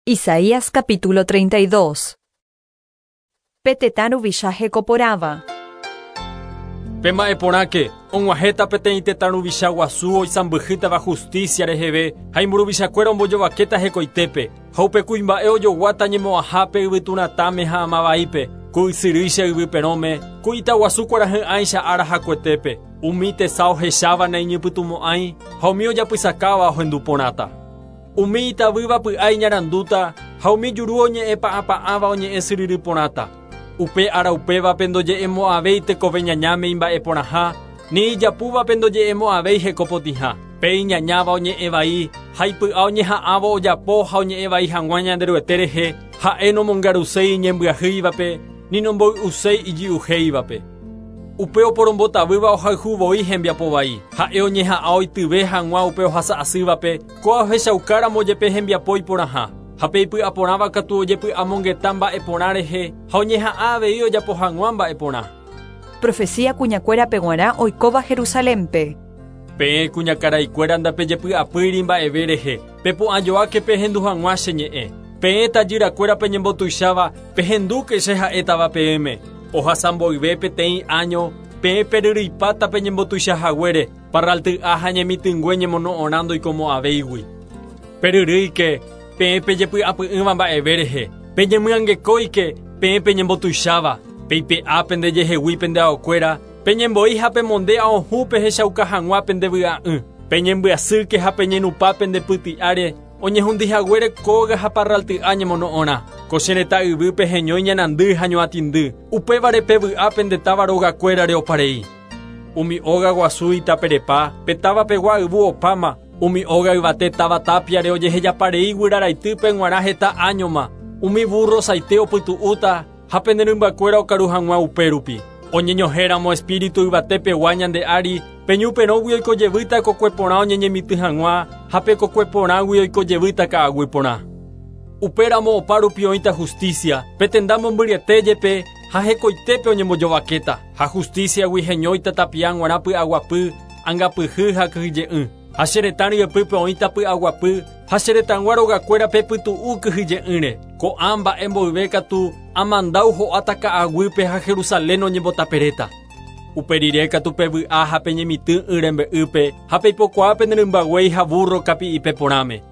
Isaías capítulo 32. Pe tetã ruvicha hekoporãva. Pema'ẽ porãke, og̃uahẽta peteĩ tetã ruvicha guasu oisãmbyhýtava justícia reheve ha imburuvichakuéra ombojovakéta hekoitépe, ha upe kuimba'e ojoguáta ñemo'ãhápe yvytu ratãme ha ama vaípe, ku ysyrýicha yvy perõme, ku ita guasu kuarahy'ãicha ára hakuetépe, umi tesa ohecháva naiñypytũmo'ãi ha umi ojapysakáva ohendu porãta. Umi itavýva py'a iñarandúta ha umi juru oñe'ẽ pa'ãpa'ãva oñe'ẽ syryry porãta. Upe ára upévape ndoje'emo'ãvéi tekove ñañáme imba'e porãha, ni ijapúvape ndoje'emo'ãvéi heko potĩha. Pe iñañáva oñe'ẽ vai ha ipy'a oñeha'ãvo ojapo ha oñe'ẽ vai hag̃ua Ñanderuete rehe, ha'e nomongaruséi iñembyahýivape ni nomboy'uséi ijy'uhéivape. Upe oporombotavýva ohayhu voi hembiapo vai. Ha'e oñeha'ã oityve hag̃ua upe ohasa asývape, kóa ohechaukáramo jepe hembiapo iporãha. Ha pe ipy'aporãva katu ojepy'amongeta mba'e porã rehe ha oñeha'ã avei ojapo hag̃ua mba'e porã. Profecía kuñakuérape g̃uarã oikóva Jerusalénpe. Peẽ kuñakaraikuéra ndapejepy'apýiri mba'eve rehe, pepu'ãjoáke pehendu hag̃ua che ñe'ẽ. Peẽ tajyrakuéra peñembotuicháva, pehendúke che ha'étava peẽme. Ohasa mboyve peteĩ áño, peẽ peryryipáta peñembotuicha haguére, parralty'a ha ñemitỹngue ñemono'õrã ndoikomo'ãvéigui. Peryrýike, peẽ pejepy'apy'ỹva mba'eve rehe, peñemyangekóike, peẽ peñembotuicháva, peipe'a pendejehegui pende aokuéra, Peñembo'i ha pemonde aohũ pehechauka hag̃ua pende vy'a'ỹ. Peñembyasýke ha peñenupã pende pyti'áre, oñehundi haguére kóga ha parralty'a ñemono'õrã. Ko che retã yvýpe heñói ñanandy ha ñoatĩndy, upévare pevy'a pende táva rogakuérare oparei. Umi óga guasu itaperepa, pe táva pegua yvu opáma, umi óga yvate táva tápiare ojehejaparei guyra raitýpe g̃uarã heta áñoma, umi vúrro saite opytu'úta, Ha pene rymbakuéra okaru hag̃ua upérupi. Oñeñohẽramo espíritu yvate pegua ñande ári, pe ñu perõgui oiko jevýta kokue porã oñeñemitỹ hag̃ua, ha pe kokue porãgui oiko jevýta ka'aguy porã. Upéramo opárupi oĩta hustísia, pe tenda mombyryete jepe ha hekoitépe oñembojovakéta, ha hustísiagui heñóita tapia g̃uarã py'aguapy, angapyhy ha kyhyje'ỹ. Ha che retã ryepýpe oĩta py'aguapy, ha che retãgua rogakuérape pytu'u kyhyje'ỹre. Ko'ã mba'e mboyve katu, amandáu ho'áta ka'aguýpe ha Jerusalén oñembotaperéta. Upe rire katu pevy'a ha peñemitỹ y rembe'ýpe, ha peipokuaa pene rymba guéi ha vúrro kapi'ipe porãme.